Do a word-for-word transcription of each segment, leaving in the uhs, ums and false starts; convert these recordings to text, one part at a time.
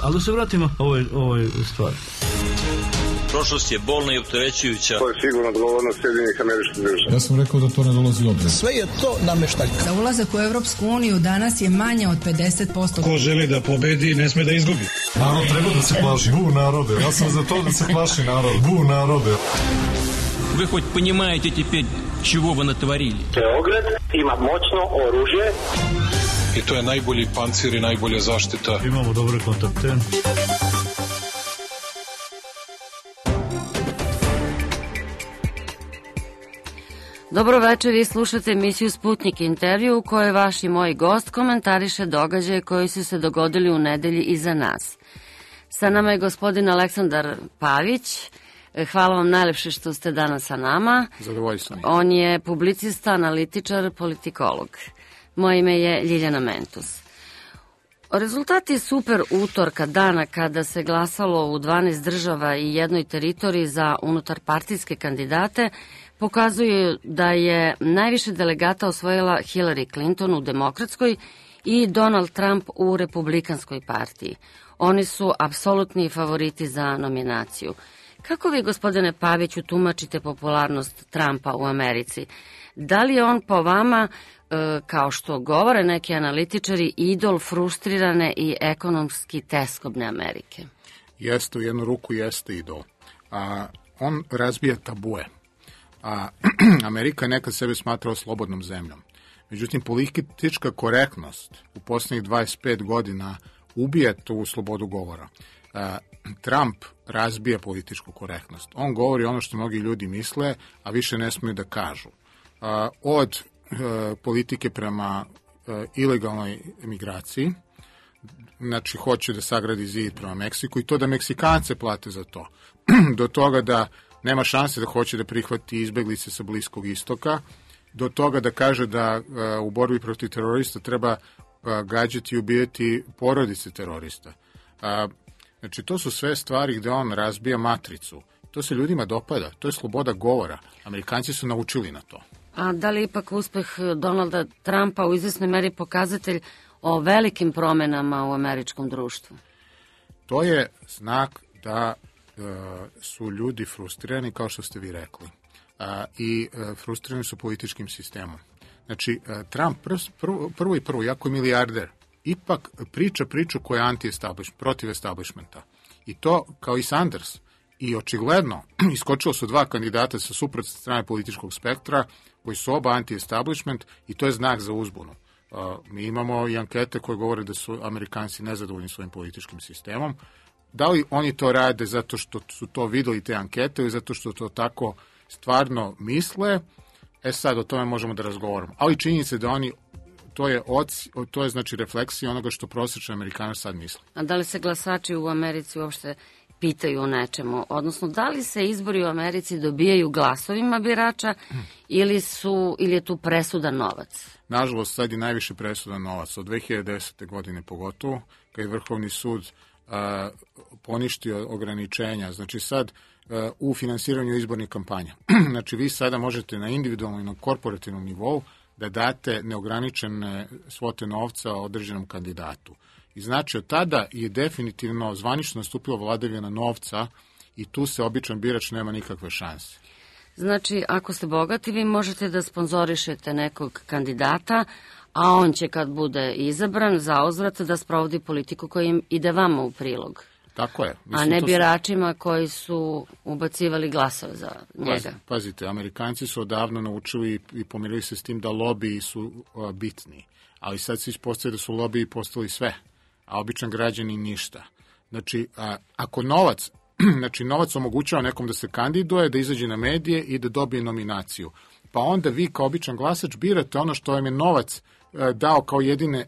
Ali da se vratimo ovoj, ovoj stvari. Prošlost je bolna i opterećujuća. To je sigurno odgovornost Sjedinjenih Američkih Država. Ja sam rekao da to ne dolazi u obzir. Sve je to nameštaljka. Za ulazak u Evropsku uniju danas je manje od pedeset posto. Ko želi da pobedi, ne sme da izgubi. Narod treba da se plaši. Bu narode. Ja sam za to da se plaši narod. Bu narode. Вы хоть понимаете теперь, чего вы натворили? Beograd ima moćno oružje. I to je najbolji pancir i najbolja zaštita. Imamo dobre kontakte. Dobro večer, vi slušate emisiju Sputnik intervju u kojoj vaš i moj gost komentariše događaje koji su se dogodili u nedelji iza nas. Sa nama je gospodin Aleksandar Pavić. Hvala vam najlepše što ste danas sa nama. Zadovoljstvo mi. On je publicista, analitičar, politikolog. Moje ime je Ljiljana Mentus. Rezultati super utorka, dana kada se glasalo u dvanaest država i jednoj teritoriji za unutarpartijske kandidate, pokazuju da je najviše delegata osvojila Hillary Clinton u demokratskoj i Donald Trump u republikanskoj partiji. Oni su apsolutni favoriti za nominaciju. Kako vi, gospodine Paviću, tumačite popularnost Trumpa u Americi? Da li je on po vama, e, kao što govore neki analitičari, idol frustrirane i ekonomski teskobne Amerike? Jeste, u jednu ruku jeste idol. A, on razbija tabue. A, Amerika je nekad sebe smatrao slobodnom zemljom. Međutim, politička korektnost u poslednjih dvadeset pet godina ubija tu slobodu govora. A, Trump razbija političku korektnost. On govori ono što mnogi ljudi misle, a više ne smiju da kažu. A, od a, politike prema a, ilegalnoj emigraciji, znači hoće da sagradi zid prema Meksiku i to da Meksikance plate za to. Do toga da nema šanse da hoće da prihvati izbeglice sa Bliskog istoka, do toga da kaže da a, u borbi protiv terorista treba a, gađati i ubijati porodice terorista. A, znači, to su sve stvari gde on razbija matricu. To se ljudima dopada, to je sloboda govora. Amerikanci su naučili na to. A da li ipak uspeh Donalda Trumpa u izvesnoj meri pokazatelj o velikim promenama u američkom društvu? To je znak da e, su ljudi frustrirani, kao što ste vi rekli. A, I e, frustrirani su političkim sistemom. Znači, e, Trump pr, pr, prvo i prvo, jako je milijarder, ipak priča priču koja je anti-establishment, protiv establishmenta. I to, kao i Sanders, i očigledno, iskočilo su dva kandidata sa suprotne strane političkog spektra, koji su oba anti-establishment i to je znak za uzbunu. Uh, mi imamo i ankete koje govore da su Amerikanci nezadovoljni svojim političkim sistemom. Da li oni to rade zato što su to videli te ankete ili zato što to tako stvarno misle, e sad o tome možemo da razgovaramo. Ali činjenica da oni To je, oci, to je znači refleksija onoga što prosječni Amerikanac sad misli. A da li se glasači u Americi uopšte pitaju o nečemu? Odnosno, da li se izbori u Americi dobijaju glasovima birača ili, su, ili je tu presudan novac? Nažalost, sad je najviše presudan novac. Od dve hiljade desete. godine pogotovo, kad je Vrhovni sud a, poništio ograničenja. Znači sad a, u finansiranju izbornih kampanja. Znači vi sada možete na individualnom i na korporativnom nivou da date neograničene svote novca određenom kandidatu. I znači od tada je definitivno zvanično nastupila vladavina novca i tu se običan birač nema nikakve šanse. Znači, ako ste bogati, vi možete da sponzorišete nekog kandidata, a on će kad bude izabran za uzvrat da sprovodi politiku koja im ide vama u prilog. Tako je. Mislim, a ne su... biračima koji su ubacivali glasove za njega. Pazite, pazite, Amerikanci su odavno naučili i pomirili se s tim da lobiji su uh, bitni, ali sad se ispostavlja da su lobiji postali sve, a običan građani ništa. Znači, a, ako novac, znači novac omogućava nekom da se kandiduje, da izađe na medije i da dobije nominaciju, pa onda vi kao običan glasač birate ono što vam je novac uh, dao kao jedine,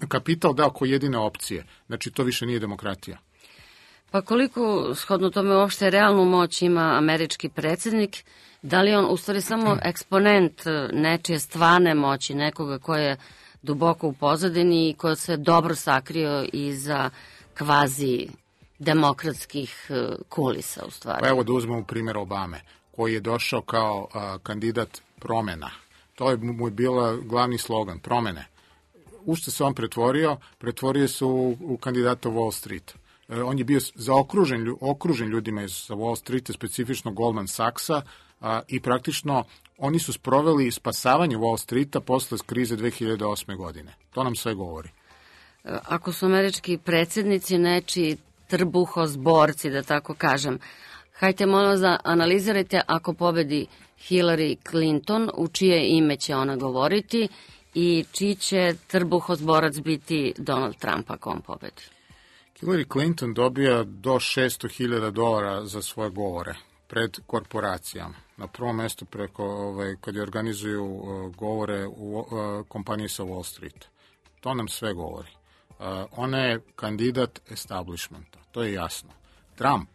kapital dao kao jedine opcije. Znači, to više nije demokratija. Pa koliko, shodno tome, uopšte realnu moć ima američki predsjednik? Da li on u stvari samo eksponent nečije stvarne moći, nekoga ko je duboko u pozadini i ko se dobro sakrio iza kvazi demokratskih kulisa u stvari? Pa evo da uzmemo primjer Obame, koji je došao kao a, kandidat promena. To je mu je bila glavni slogan, promene. u što se on pretvorio? Pretvorio se u, u kandidata Wall Street. E, on je bio zaokružen okružen ljudima iz Wall Streeta, specifično Goldman Sachsa, a, i praktično oni su sproveli spasavanje Wall Streeta posle krize dve hiljade osme. godine. To nam sve govori. Ako su američki predsjednici nečiji trbuhozborci, da tako kažem, hajte molim da analizirajte ako pobedi Hillary Clinton, u čije ime će ona govoriti i čiji će trbuhozborac biti Donald Trump ako on pobedi. Hillary Clinton dobija do šesto hiljada dolara za svoje govore pred korporacijama. Na prvom mjestu preko, ovaj, kad je organizuju uh, govore u uh, kompaniji sa Wall Street. To nam sve govori. Uh, ona je kandidat establishmenta, to je jasno. Trump,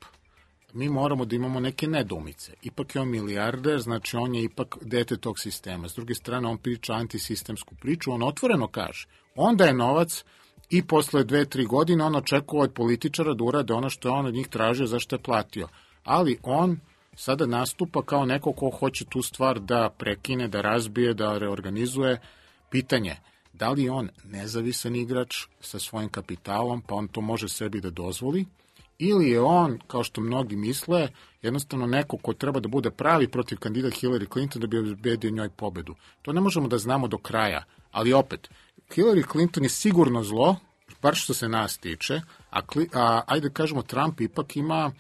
mi moramo da imamo neke nedoumice. Ipak je on milijarder, znači on je ipak dete tog sistema. S druge strane, on priča antisistemsku priču, on otvoreno kaže. Onda je novac i posle dve, tri godine on očekuje od političara da urade ono što je on od njih tražio, zašto je platio. Ali on sada nastupa kao neko ko hoće tu stvar da prekine, da razbije, da reorganizuje. Pitanje, da li je on nezavisan igrač sa svojim kapitalom, pa on to može sebi da dozvoli, ili je on, kao što mnogi misle, jednostavno neko ko treba da bude pravi protiv kandidata Hillary Clinton da bi obezbedio njoj pobedu. To ne možemo da znamo do kraja, ali opet, Hillary Clinton je sigurno zlo, bar što se nas tiče, a, a ajde kažemo Trump ipak ima,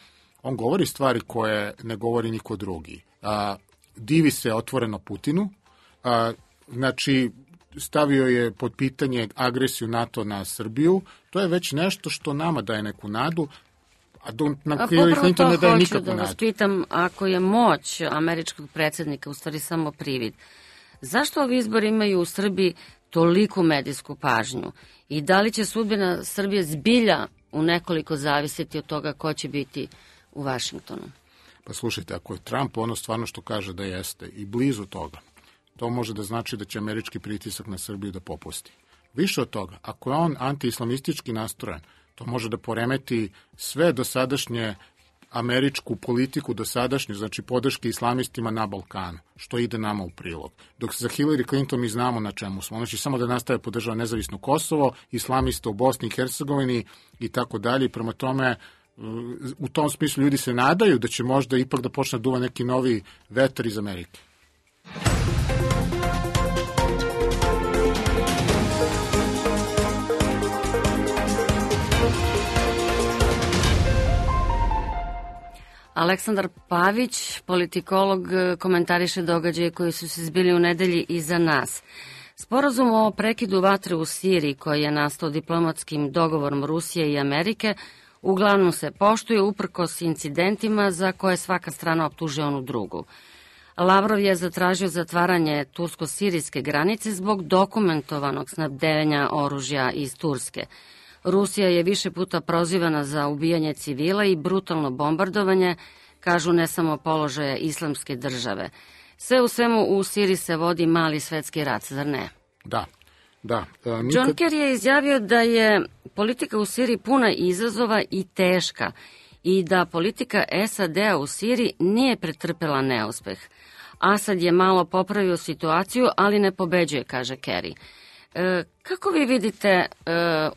on govori stvari koje ne govori niko drugi. A, divi se otvoreno Putinu, a, znači stavio je pod pitanje agresiju NATO na Srbiju, to je već nešto što nama daje neku nadu, a do, na Hillary Clinton ne daje nikakvu nadu. Da vas pitam, ako je moć američkog predsjednika u stvari samo privid, zašto ovi izbori imaju u Srbiji toliku medijsku pažnju i da li će sudbina Srbije zbilja u nekoliko zavisiti od toga ko će biti u Vašingtonu? Pa slušajte, ako je Trump ono stvarno što kaže da jeste i blizu toga, to može da znači da će američki pritisak na Srbiju da popusti. Više od toga, ako je on anti-islamistički nastrojen, to može da poremeti sve dosadašnje američku politiku, dosadašnju, znači podrške islamistima na Balkanu, što ide nama u prilog. Dok za Hillary Clinton mi znamo na čemu smo. Znači samo da nastave podržava nezavisno Kosovo, islamista u Bosni i Hercegovini i tako dalje. Prema tome, u tom smislu ljudi se nadaju da će možda ipak da počne duva neki novi vetar iz Amerike. Aleksandar Pavić, politikolog, komentariše događaje koji su se zbili u nedelji iza nas. Sporazum o prekidu vatre u Siriji, koji je nastao diplomatskim dogovorom Rusije i Amerike, uglavnom se poštuje uprkos incidentima za koje svaka strana optužuje onu drugu. Lavrov je zatražio zatvaranje tursko-sirijske granice zbog dokumentovanog snabdevanja oružja iz Turske. Rusija je više puta prozivana za ubijanje civila i brutalno bombardovanje, kažu ne samo položaja islamske države. Sve u svemu u Siriji se vodi mali svetski rat, zar ne? Da, da. E, nikad... John Kerry je izjavio da je politika u Siriji puna izazova i teška i da politika S A D-a u Siriji nije pretrpela neuspeh. Asad je malo popravio situaciju, ali ne pobeđuje, kaže Kerry. E, kako vi vidite e,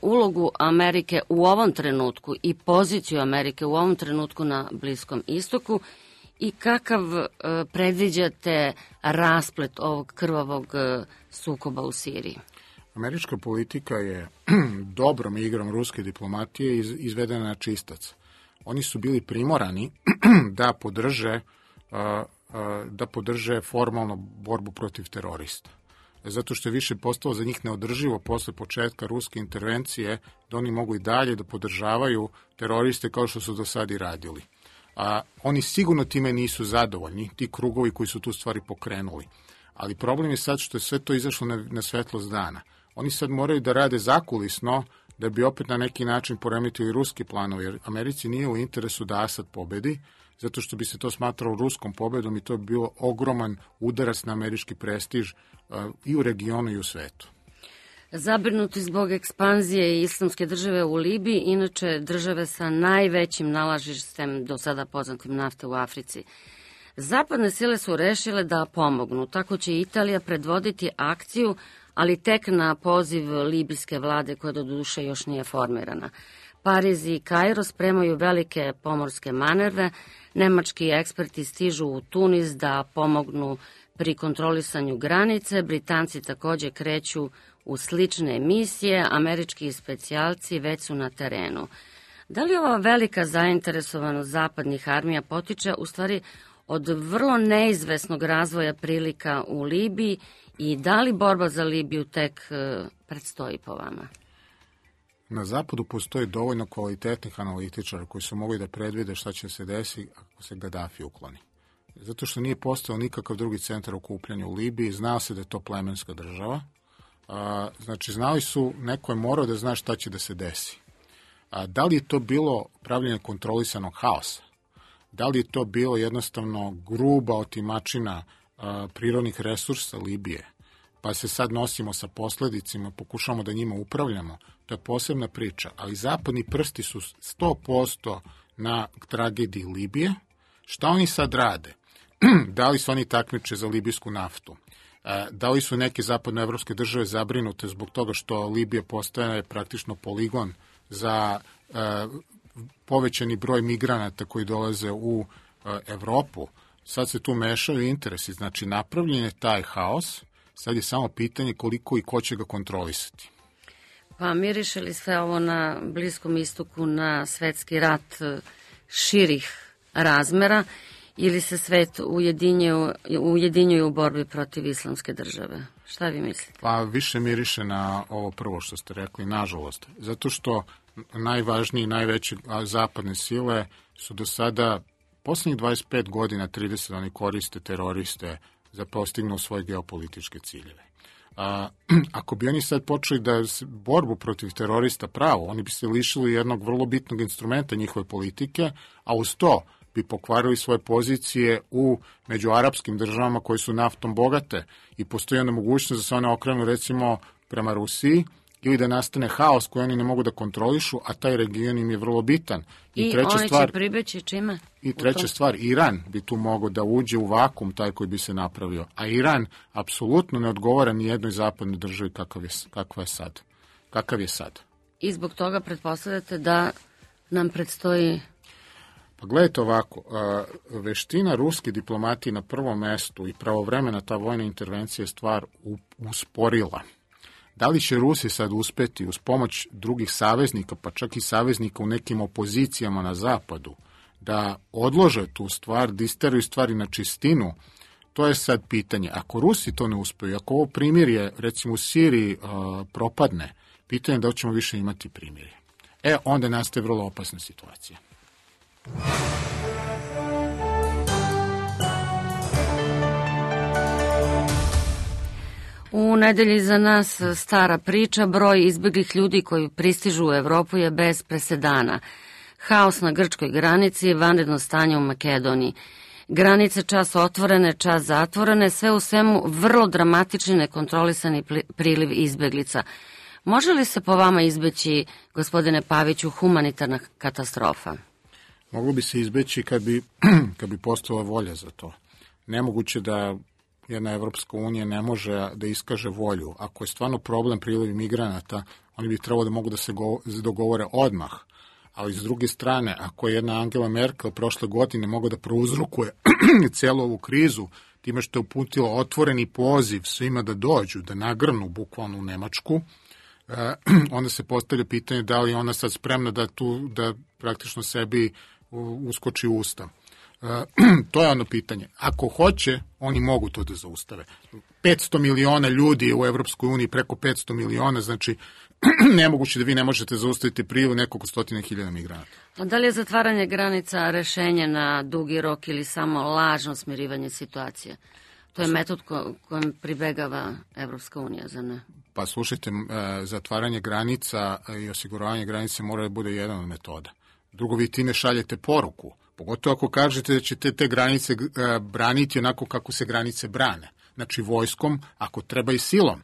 ulogu Amerike u ovom trenutku i poziciju Amerike u ovom trenutku na Bliskom istoku i kakav e, predviđate rasplet ovog krvavog e, sukoba u Siriji? Američka politika je dobrom igrom ruske diplomatije iz, izvedena na čistac. Oni su bili primorani da podrže, uh, uh, da podrže formalno borbu protiv terorista. Zato što je više postalo za njih neodrživo posle početka ruske intervencije da oni mogu i dalje da podržavaju teroriste kao što su do sad i radili. A oni sigurno time nisu zadovoljni, ti krugovi koji su tu stvari pokrenuli. Ali problem je sad što je sve to izašlo na, na svetlost dana. Oni sad moraju da rade zakulisno da bi opet na neki način poremetili ruski planovi, jer Americi nije u interesu da Asad pobedi, zato što bi se to smatralo ruskom pobedom i to bi bilo ogroman udarac na američki prestiž uh, i u regionu i u svetu. Zabrinuti zbog ekspanzije islamske države u Libiji, inače države sa najvećim nalažištem do sada poznatim nafte u Africi. Zapadne sile su rešile da pomognu, tako će Italija predvoditi akciju ali tek na poziv libijske vlade koja do duše još nije formirana. Pariz i Kairo spremaju velike pomorske manerve, nemački eksperti stižu u Tunis da pomognu pri kontrolisanju granice, Britanci takođe kreću u slične misije, američki specijalci već su na terenu. Da li ova velika zainteresovanost zapadnih armija potiče u stvari od vrlo neizvesnog razvoja prilika u Libiji i da li borba za Libiju tek predstoji po vama? Na zapadu postoji dovoljno kvalitetnih analitičara koji su mogli da predvide šta će se desiti ako se Gaddafi ukloni. Zato što nije postojao nikakav drugi centar okupljanja u Libiji, znao se da je to plemenska država. A, znači, znali su, neko je morao da zna šta će da se desi. A, da li je to bilo pravljenje kontrolisanog haosa? Da li je to bilo jednostavno gruba otimačina a, prirodnih resursa Libije? Pa se sad nosimo sa posledicima, pokušamo da njima upravljamo, to je posebna priča, ali zapadni prsti su sto posto na tragediji Libije. Šta oni sad rade? Da li su oni takmiče za libijsku naftu? Da li su neke zapadnoevropske države zabrinute zbog toga što Libija postaje praktično poligon za povećani broj migranata koji dolaze u Evropu? Sad se tu mešaju interesi, znači napravljen je taj haos, sad je samo pitanje koliko i ko će ga kontrolisati. Pa miriše li sve ovo na Bliskom istoku na svetski rat širih razmera ili se svet ujedinjuje, ujedinjuje u borbi protiv islamske države? Šta vi mislite? Pa više miriše na ovo prvo što ste rekli, nažalost. Zato što najvažnije i najveće zapadne sile su do sada, poslednjih dvadeset pet godina, trideset, oni koriste teroriste za postignu svoje geopolitičke ciljeve. A, ako bi oni sad počeli da borbu protiv terorista pravo, oni bi se lišili jednog vrlo bitnog instrumenta njihove politike, a uz to bi pokvarili svoje pozicije u među arapskim državama koje su naftom bogate i postoji onda mogućnost da se one okrenu recimo prema Rusiji ili da nastane haos koji oni ne mogu da kontrolišu, a taj region im je vrlo bitan. I, I treća oni stvar, će pribeći čime? I treća stvar, Iran bi tu mogao da uđe u vakum taj koji bi se napravio. A Iran apsolutno ne odgovara ni jednoj zapadnoj državi kakav je, kakva je sad. Kakav je sad. I zbog toga pretpostavljate da nam predstoji... Pa gledajte ovako, veština ruske diplomatije na prvom mestu i pravovremena ta vojna intervencija je stvar usporila. Da li će Rusi sad uspeti uz pomoć drugih saveznika, pa čak i saveznika u nekim opozicijama na zapadu, da odlože tu stvar, da isteraju stvari na čistinu, to je sad pitanje. Ako Rusi to ne uspeju, ako ovo primirje, recimo u Siriji, uh, propadne, pitanje je da li ćemo više imati primirje. E, onda nastaje vrlo opasna situacija. U nedelji za nas stara priča, broj izbeglih ljudi koji pristižu u Evropu je bez presedana. Haos na grčkoj granici, vanredno stanje u Makedoniji. Granice čas otvorene, čas zatvorene, sve u svemu vrlo dramatični nekontrolisani priliv izbeglica. Može li se po vama izbeći, gospodine Paviću, humanitarna katastrofa? Moglo bi se izbeći kad bi, kad bi postojala volja za to. Nemoguće da jedna Evropska unija ne može da iskaže volju. Ako je stvarno problem priliv migranata, oni bi trebalo da mogu da se go, dogovore odmah. Ali s druge strane, ako je jedna Angela Merkel prošle godine mogla da prouzrokuje celu ovu krizu, time što je uputila otvoreni poziv svima da dođu, da nagrnu bukvalno u Nemačku, eh, onda se postavlja pitanje da li je ona sad spremna da tu, da praktično sebi uskoči u usta. Uh, to je ono pitanje. Ako hoće, oni mogu to da zaustave. petsto miliona ljudi u Evropskoj uniji, preko petsto miliona, znači nemoguće da vi ne možete zaustaviti priliv nekoliko stotina hiljada migranata. A da li je zatvaranje granica rešenje na dugi rok ili samo lažno smirivanje situacije? To je metod ko, kojem pribegava Evropska unija, za ne? Pa slušajte, zatvaranje granica i osiguravanje granice mora da bude jedan od metoda. Drugo, vi time šaljete poruku. Pogotovo ako kažete da ćete te granice e, braniti onako kako se granice brane. Znači vojskom, ako treba i silom.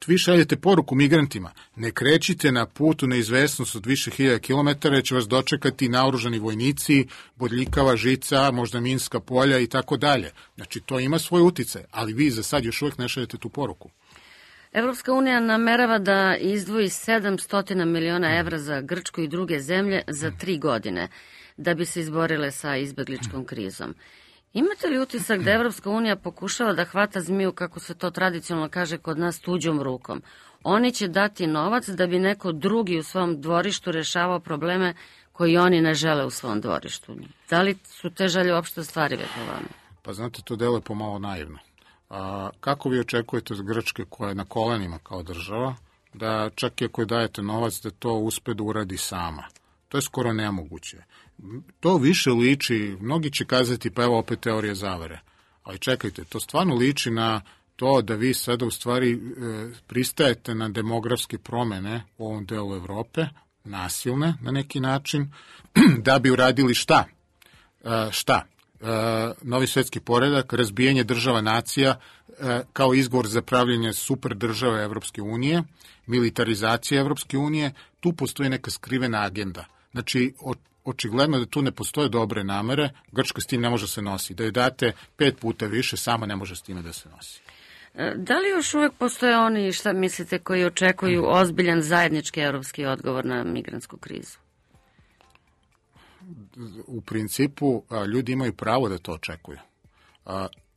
Vi šaljete poruku migrantima. Ne krećite na putu neizvesnost od više hiljada kilometara, jer će vas dočekati naoružani vojnici, bodljikava žica, možda minska polja i tako dalje. Znači to ima svoj uticaj, ali vi za sad još uvijek ne šaljete tu poruku. Evropska unija namerava da izdvoji sedamsto miliona evra za Grčku i druge zemlje za tri godine da bi se izborile sa izbegličkom krizom. Imate li utisak da Evropska unija pokušava da hvata zmiju, kako se to tradicionalno kaže kod nas, tuđom rukom? Oni će dati novac da bi neko drugi u svom dvorištu rešavao probleme koji oni ne žele u svom dvorištu. Da li su te želje uopšte ostvarive po vama? Pa znate, to deluje pomalo naivno. A, kako vi očekujete od Grčke, koja je na kolenima kao država, da čak i ako dajete novac, da to uspe da uradi sama? To je skoro nemoguće. To više liči, mnogi će kazati, pa evo opet teorije zavere. Ali čekajte, to stvarno liči na to da vi sada u stvari e, pristajete na demografske promene u ovom delu Evrope, nasilne na neki način, da bi uradili šta? E, šta? E, novi svetski poredak, razbijanje država nacija e, kao izgovor za pravljenje super države Evropske unije, militarizacija Evropske unije, tu postoji neka skrivena agenda. Znači, o, očigledno da tu ne postoje dobre namere, Grčka s tim ne može se nosi. Da je date pet puta više, sama ne može s time da se nosi. Da li još uvek postoje oni, šta mislite, koji očekuju ozbiljan zajednički evropski odgovor na migrantsku krizu? U principu, ljudi imaju pravo da to očekuju.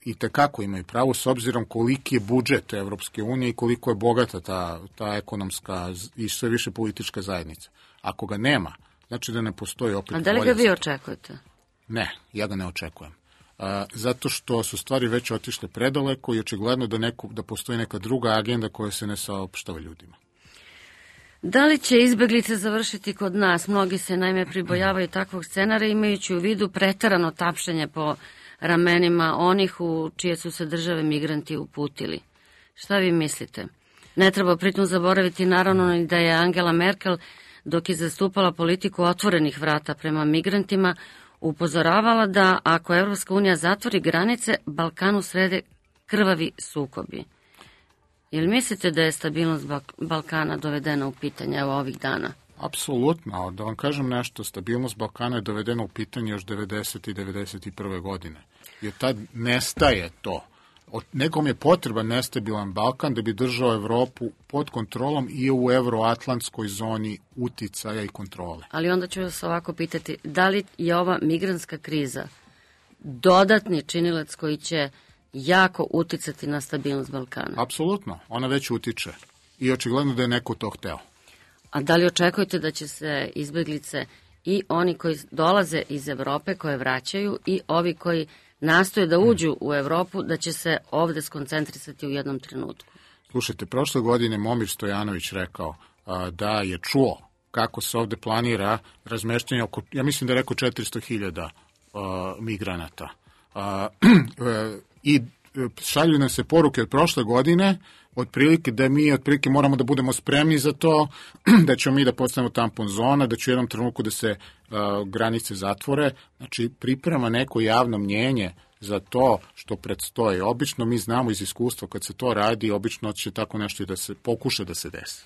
I tekako imaju pravo, s obzirom koliki je budžet Evropske unije i koliko je bogata ta, ta ekonomska i sve više politička zajednica. Ako ga nema, znači da ne postoji opet volja. A da li ga vi očekujete? Ne, ja ga ne očekujem. A, zato što su stvari već otišle predaleko i očigledno da, neko, da postoji neka druga agenda koja se ne saopštava ljudima. Da li će izbeglice završiti kod nas? Mnogi se naime pribojavaju takvog scenarija, imajući u vidu preterano tapšanje po ramenima onih u čije su se države migranti uputili. Šta vi mislite? Ne treba pritom zaboraviti naravno ni da je Angela Merkel, dok je zastupala politiku otvorenih vrata prema migrantima, upozoravala da ako Evropska unija zatvori granice, Balkanu srede krvavi sukobi. Jel mislite da je stabilnost Balkana dovedena u pitanje evo ovih dana? Apsolutno, da vam kažem nešto, stabilnost Balkana je dovedena u pitanje još devedesete i devedeset prve godine. Jer tad nestaje to. Nekom je potreban nestabilan Balkan da bi držao Evropu pod kontrolom i u evroatlantskoj zoni uticaja i kontrole. Ali onda ću vas ovako pitati, da li je ova migrantska kriza dodatni činilac koji će jako uticati na stabilnost Balkana? Apsolutno, ona već utiče i očigledno da je neko to hteo. A da li očekujete da će se izbeglice i oni koji dolaze iz Evrope, koje vraćaju, i ovi koji nastoje da uđu u Evropu, da će se ovde skoncentrisati u jednom trenutku? Slušajte, prošle godine Momir Stojanović rekao a, da je čuo kako se ovde planira razmeštanje oko, ja mislim da je rekao četiristo hiljada migranata. A, I šalju nam se poruke od prošle godine, otprilike da mi otprilike moramo da budemo spremni za to, da ćemo mi da postanemo tampon zona, da će u jednom trenutku da se uh, granice zatvore. Znači, priprema neko javno mnjenje za to što predstoji. Obično mi znamo iz iskustva kad se to radi, obično će tako nešto i da se pokuša da se desi.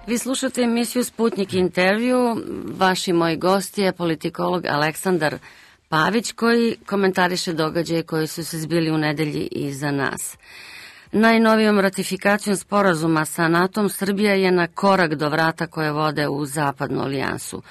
Vi slušate emisiju Sputnik intervju. Vaš i moj gost je politikolog Aleksandar Pavić, koji komentariše događaje koji su se zbili u nedelji iza nas. Najnovijom ratifikacijom sporazuma sa NATO-om Srbija je na korak do vrata koje vode u zapadnu alijansu.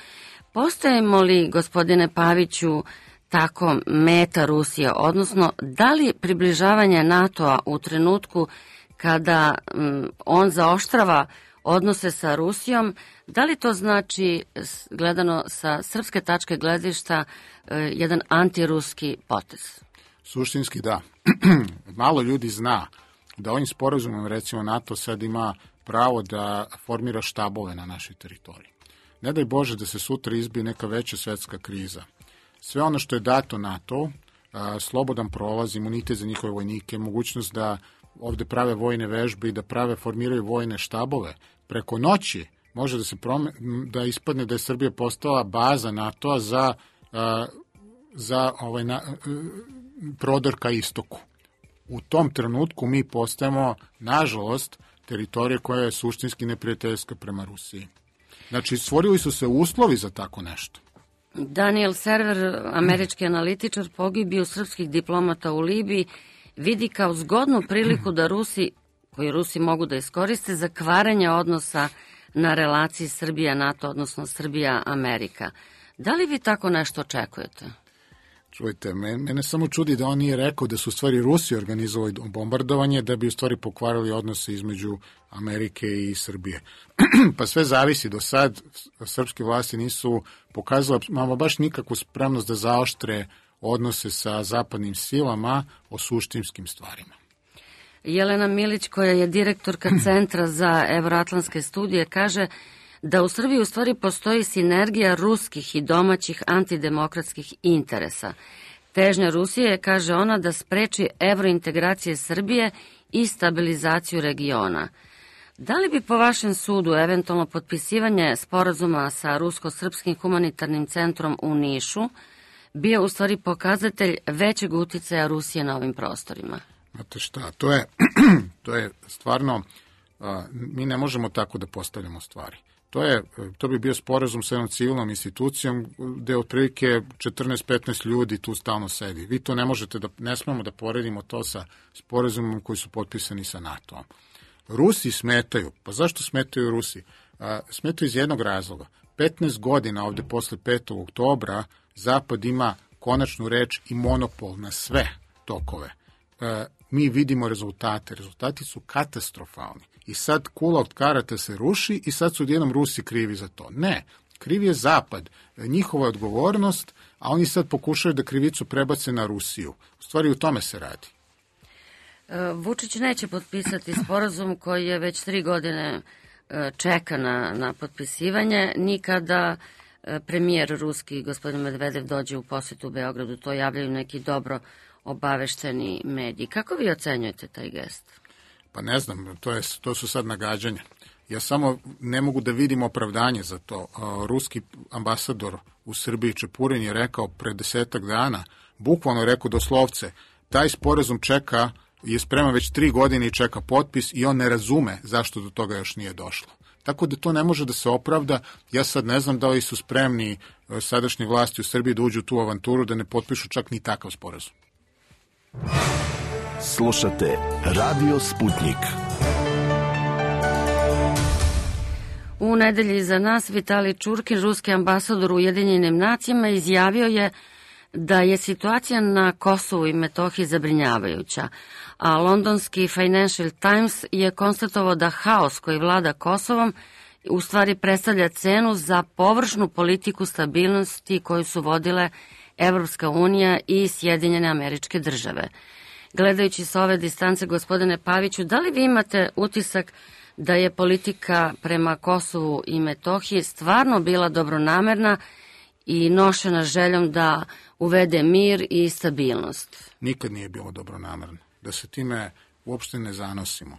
Postajemo li, gospodine Paviću, tako meta Rusije, odnosno da li približavanje NATO-a u trenutku kada um, on zaoštrava odnose sa Rusijom, da li to znači, gledano sa srpske tačke gledišta, jedan antiruski potez? Suštinski da. Malo ljudi zna da ovim sporazumom, recimo, NATO sad ima pravo da formira štabove na našoj teritoriji. Ne daj Bože da se sutra izbije neka veća svetska kriza. Sve ono što je dato NATO, slobodan prolaz, imunitet za njihove vojnike, mogućnost da ovde prave vojne vežbe i da prave, formiraju vojne štabove, preko noći može da se prome, da ispadne da je Srbija postala baza NATO-a za, za ovaj, na, prodor ka istoku. U tom trenutku mi postajemo, nažalost, teritorije koja je suštinski neprijateljska prema Rusiji. Znači, stvorili su se uslovi za tako nešto. Daniel Server, američki analitičar pogibiju srpskih diplomata u Libiji, vidi kao zgodnu priliku da Rusi, koji Rusi mogu da iskoriste, za kvarenje odnosa na relaciji Srbija-NATO, odnosno Srbija-Amerika. Da li vi tako nešto očekujete? Čujte, mene samo čudi da on nije rekao da su u stvari Rusi organizovali bombardovanje da bi u stvari pokvarili odnose između Amerike i Srbije. Pa sve zavisi. Do sad srpske vlasti nisu pokazale mama baš nikakvu spremnost da zaoštre odnose sa zapadnim silama o suštinskim stvarima. Jelena Milić, koja je direktorka Centra za evroatlantske studije, kaže da u Srbiji u stvari postoji sinergija ruskih i domaćih antidemokratskih interesa. Težnja Rusije je, kaže ona, da spreči evrointegracije Srbije i stabilizaciju regiona. Da li bi po vašem sudu eventualno potpisivanje sporazuma sa Rusko-srpskim humanitarnim centrom u Nišu bio u stvari pokazatelj većeg uticaja Rusije na ovim prostorima? Znate šta, to je, to je stvarno, a, mi ne možemo tako da postavljamo stvari. To, je, to bi bio sporazum sa jednom civilnom institucijom gde otprilike četrnaest petnaest ljudi tu stalno sedi. Vi to ne možete da, ne smemo da poredimo to sa sporazumom koji su potpisani sa NATO-om. Rusi smetaju. Pa zašto smetaju Rusi? A, smetaju iz jednog razloga. petnaest godina ovde posle petog oktobra Zapad ima konačnu reč i monopol na sve tokove. E, mi vidimo rezultate. Rezultati su katastrofalni. I sad kula od karata se ruši i sad su odjednom Rusi krivi za to. Ne, kriv je Zapad. Njihova je odgovornost, a oni sad pokušaju da krivicu prebace na Rusiju. U stvari u tome se radi. Vučić neće potpisati sporazum koji je već tri godine čeka na, na potpisivanje, nikada premijer ruski, gospodin Medvedev, dođe u posjetu u Beogradu. To javljaju neki dobro obavešteni mediji. Kako vi ocenjujete taj gest? Pa ne znam, to, je, to su sad nagađanja. Ja samo ne mogu da vidim opravdanje za to. Ruski ambasador u Srbiji Čepurin je rekao pre desetak dana, bukvalno rekao doslovce, taj sporazum čeka, je spreman već tri godine i čeka potpis i on ne razume zašto do toga još nije došlo. Tako da to ne može da se opravda. Ja sad ne znam da li su spremni sadašnje vlasti u Srbiji da uđu u tu avanturu, da ne potpišu čak ni takav sporazum. Slušate Radio Sputnik. U nedelji iza nas Vitalij Čurkin, ruski ambasador u Ujedinjenim nacijama, izjavio je da je situacija na Kosovu i Metohiji zabrinjavajuća, a londonski Financial Times je konstatovao da haos koji vlada Kosovom u stvari predstavlja cenu za površnu politiku stabilnosti koju su vodile Evropska unija i Sjedinjene Američke Države. Gledajući sa ove distance, gospodine Paviću, da li vi imate utisak da je politika prema Kosovu i Metohiji stvarno bila dobronamerna i nošena željom da uvede mir i stabilnost? Nikad nije bilo dobronamerno. Da se time uopšte ne zanosimo.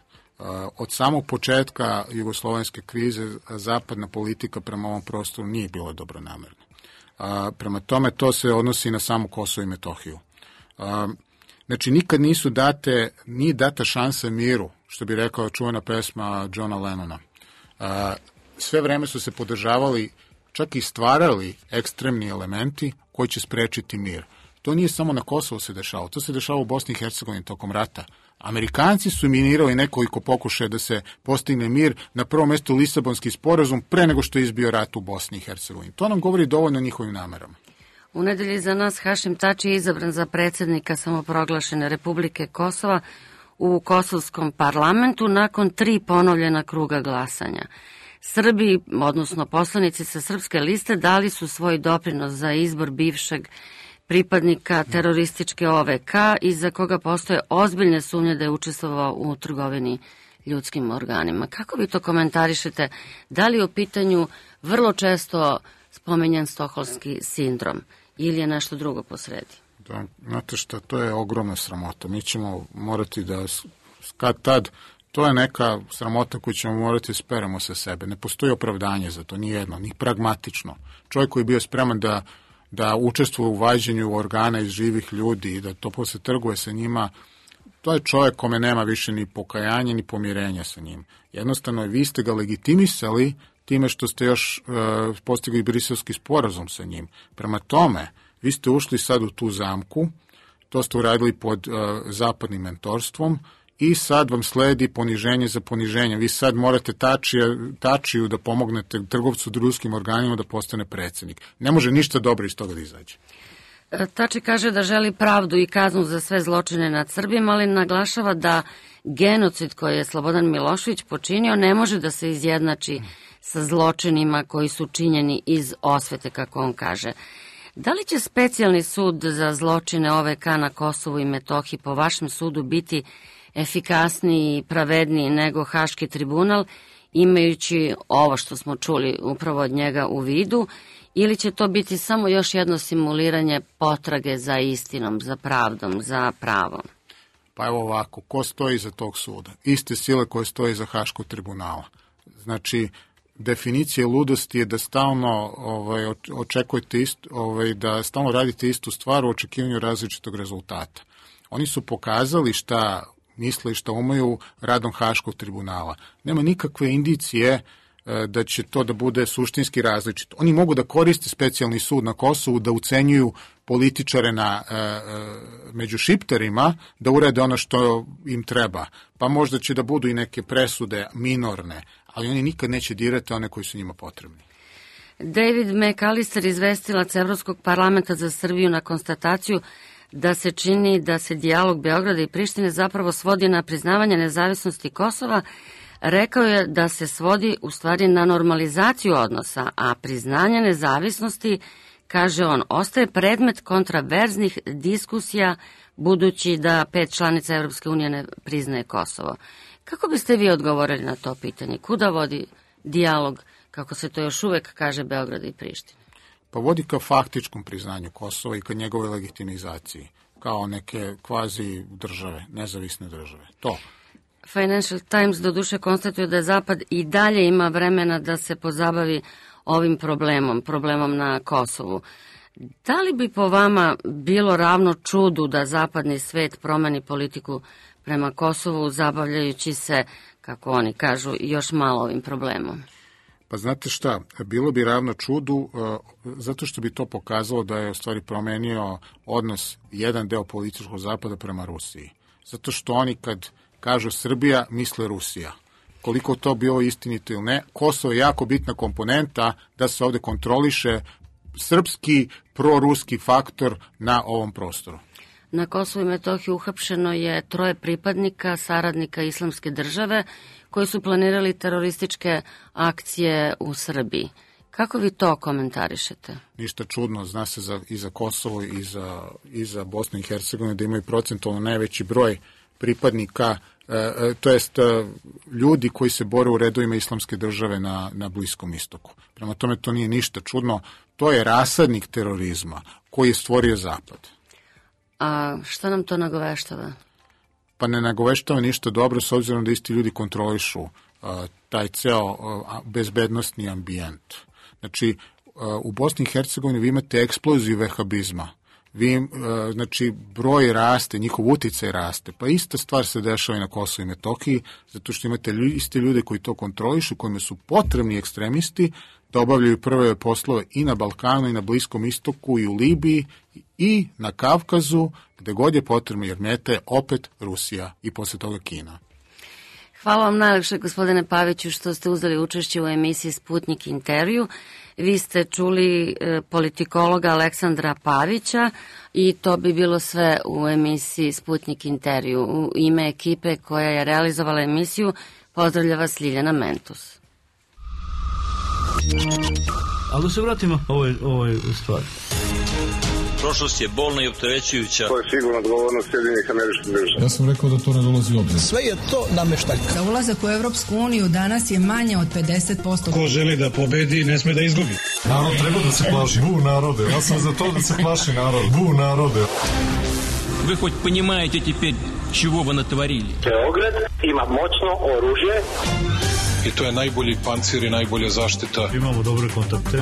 Od samog početka jugoslovenske krize zapadna politika prema ovom prostoru nije bila dobronamerna. Prema tome, to se odnosi na samo Kosovo i Metohiju. Znači, nikad nisu date, nije data šansa miru, što bi rekao čuvena pesma Johna Lennona. Sve vreme su se podržavali, čak i stvarali ekstremni elementi koji će sprečiti mir. To nije samo na Kosovu se dešavalo, to se dešavalo u Bosni i Hercegovini tokom rata. Amerikanci su minirali nekoliko pokušaja da se postigne mir, na prvom mestu Lisabonski sporazum, pre nego što je izbio rat u Bosni i Hercegovini. To nam govori dovoljno o njihovim namerama. U nedelji za nas Hašim Tači je izabran za predsjednika samoproglašene Republike Kosova u kosovskom parlamentu nakon tri ponovljena kruga glasanja. Srbi, odnosno poslanici sa srpske liste, dali su svoj doprinos za izbor bivšeg pripadnika terorističke O V K i za koga postoje ozbiljne sumnje da je učestvovao u trgovini ljudskim organima. Kako vi to komentarišete? Da li je u pitanju vrlo često spomenjan stokholmski sindrom ili je nešto drugo posredi? Da, znate šta, to je ogromna sramota. Mi ćemo morati da, kad tad, to je neka sramota koju ćemo morati speramo sa sebe. Ne postoji opravdanje za to, ni jedno, ni pragmatično. Čovjek koji je bio spreman da da učestvuje u vađenju organa iz živih ljudi i da to posle trguje sa njima, To je čovjek kome nema više ni pokajanja ni pomirenja sa njim. Jednostavno, vi ste ga legitimisali time što ste još e, postigli briselski sporazum sa njim. Prema tome, vi ste ušli sad u tu zamku, to ste uradili pod e, zapadnim mentorstvom i sad vam sledi poniženje za poniženje. Vi sad morate tačija, tačiju da pomognete trgovcu drugim organima da postane predsjednik. Ne može ništa dobro iz toga da izađe. Tači kaže da želi pravdu i kaznu za sve zločine nad Srbijama, ali naglašava da genocid koji je Slobodan Milošević počinio ne može da se izjednači sa zločinima koji su činjeni iz osvete, kako on kaže. Da li će specijalni sud za zločine O V K na Kosovu i Metohiji po vašem sudu biti efikasniji i pravedniji nego Haški tribunal, imajući ovo što smo čuli upravo od njega u vidu, ili će to biti samo još jedno simuliranje potrage za istinom, za pravdom, za pravom? Pa evo ovako, ko stoji iza tog suda? Iste sile koje stoji iza Haškog tribunala. Znači, definicija ludosti je da stalno ovaj, očekujete isto, ovaj, da stalno radite istu stvar u očekivanju različitog rezultata. Oni su pokazali šta misle i šta umeju radom Haškog tribunala. Nema nikakve indicije da će to da bude suštinski različito. Oni mogu da koriste specijalni sud na Kosovu, da ucenjuju političare na, e, e, među šiptarima, da urede ono što im treba. Pa možda će da budu i neke presude minorne, ali oni nikad neće dirati one koji su njima potrebni. David McAllister, izvestilac Evropskog parlamenta za Srbiju, na konstataciju da se čini da se dijalog Beograda i Prištine zapravo svodi na priznavanje nezavisnosti Kosova, rekao je da se svodi u stvari na normalizaciju odnosa, a priznanje nezavisnosti, kaže on, ostaje predmet kontraverznih diskusija budući da pet članica Evropske unije ne priznaje Kosovo. Kako biste vi odgovorili na to pitanje? Kuda vodi dijalog, kako se to još uvek kaže, Beograda i Prištine? Pa vodi ka faktičkom priznanju Kosova i ka njegove legitimizaciji, kao neke kvazi države, nezavisne države. To. Financial Times doduše konstatuje da Zapad i dalje ima vremena da se pozabavi ovim problemom, problemom na Kosovu. Da li bi po vama bilo ravno čudu da zapadni svet promeni politiku prema Kosovu, zabavljajući se, kako oni kažu, još malo ovim problemom? Pa znate šta, bilo bi ravno čudu uh, zato što bi to pokazalo da je u stvari promenio odnos jedan deo političkog zapada prema Rusiji. Zato što oni kad kažu Srbija, misle Rusija. Koliko to bilo istinito ili ne, Kosovo je jako bitna komponenta da se ovde kontroliše srpski, proruski faktor na ovom prostoru. Na Kosovu i Metohiji uhapšeno je troje pripadnika, saradnika Islamske države, koji su planirali terorističke akcije u Srbiji. Kako vi to komentarišete? Ništa čudno, zna se za, i za Kosovo i za, i za Bosnu i Hercegovinu da imaju procentualno najveći broj pripadnika, e, to jest e, ljudi koji se bore u redovima Islamske države na, na Bliskom istoku. Prema tome to nije ništa čudno, to je rasadnik terorizma koji je stvorio Zapad. A šta nam to nagoveštava? Pa ne nagoveštava ništa dobro s obzirom da isti ljudi kontrolišu uh, taj ceo uh, bezbednostni ambijent. Znači, uh, u Bosni i Hercegovini vi imate eksploziju vehabizma. Vi, uh, znači, broj raste, njihov uticaj raste. Pa ista stvar se dešava i na Kosovu i Metohiji, zato što imate ljudi, iste ljude koji to kontrolišu, kojima su potrebni ekstremisti da obavljaju prve poslove i na Balkanu, i na Bliskom istoku, i u Libiji, i na Kavkazu, gde god je potrebno, jer meta je opet Rusija i posle toga Kina. Hvala vam najlepše, gospodine Paviću, što ste uzeli učešće u emisiji Sputnik intervju. Vi ste čuli e, politikologa Aleksandra Pavića i to bi bilo sve u emisiji Sputnik intervju. U ime ekipe koja je realizovala emisiju, pozdravlja vas Ljiljana Mentus. Ali da se vratimo ovoj, ovoj stvari. Prošlost je bolna i opterećujuća. To je sigurno odgovornost Sjedinjenih Američkih Država. Ja sam rekao da to ne dolazi u obzir. Sve je to nameštaljka. Za ulazak u Evropsku uniju danas je manje od pedeset posto. Ko želi da pobedi, ne sme da izgubi. Narod treba da se plaši. Bu narode. Ja sam za to da se plaši narod. Bu narode. Вы хоть понимаете теперь, чего вы натворили? Beograd ima moćno oružje. I to je najbolji pancir i najbolja zaštita. Imamo dobre kontakte.